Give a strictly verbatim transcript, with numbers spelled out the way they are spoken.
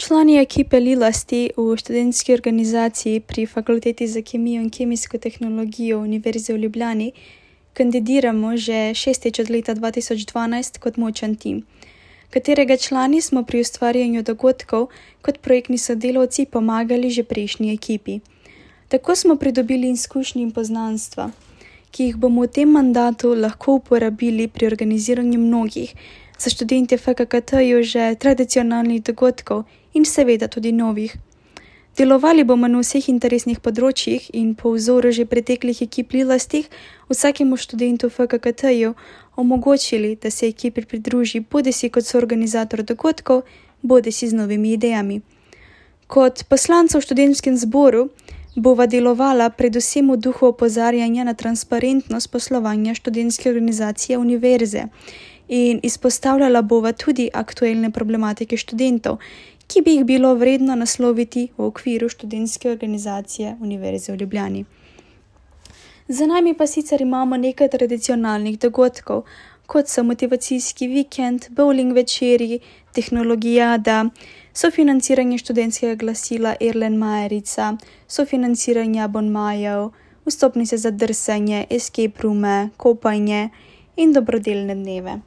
Člani ekipe Lilasti v študentski organizaciji pri Fakulteti za kemijo in kemijsko tehnologijo Univerze v Ljubljani kandidiramo že šestič od leta dva tisoč dvanajst kot močan tim, katerega člani smo pri ustvarjanju dogodkov kot projektni sodelavci pomagali že prejšnji ekipi. Tako smo pridobili izkušnje in poznanstva, ki jih bomo v tem mandatu lahko uporabili pri organiziranju mnogih, za študente F K K T-ju že tradicionalnih dogodkov in seveda tudi novih. Delovali bomo na vseh interesnih področjih in po vzoru že preteklih ekip Lilastih vsakemu študentu F K K T-ju omogočili, da se ekipi pridruži bodisi kot soorganizator dogodkov, bodisi z novimi idejami. Kot poslanca v študentskem zboru bova delovala predvsem v duhu opozarjanja na transparentnost poslovanja študentske organizacije univerze in izpostavljala bova tudi aktualne problematike študentov, ki bi jih bilo vredno nasloviti v okviru študentske organizacije Univerze v Ljubljani. Za nami pa sicer imamo nekaj tradicionalnih dogodkov, kot so motivacijski vikend, bowling večeri, tehnologijada, sofinanciranje študentskega glasila Erlen Majerica, sofinanciranje abonmajev, vstopnice za drsanje, escape roome, kopanje in dobrodelne dneve.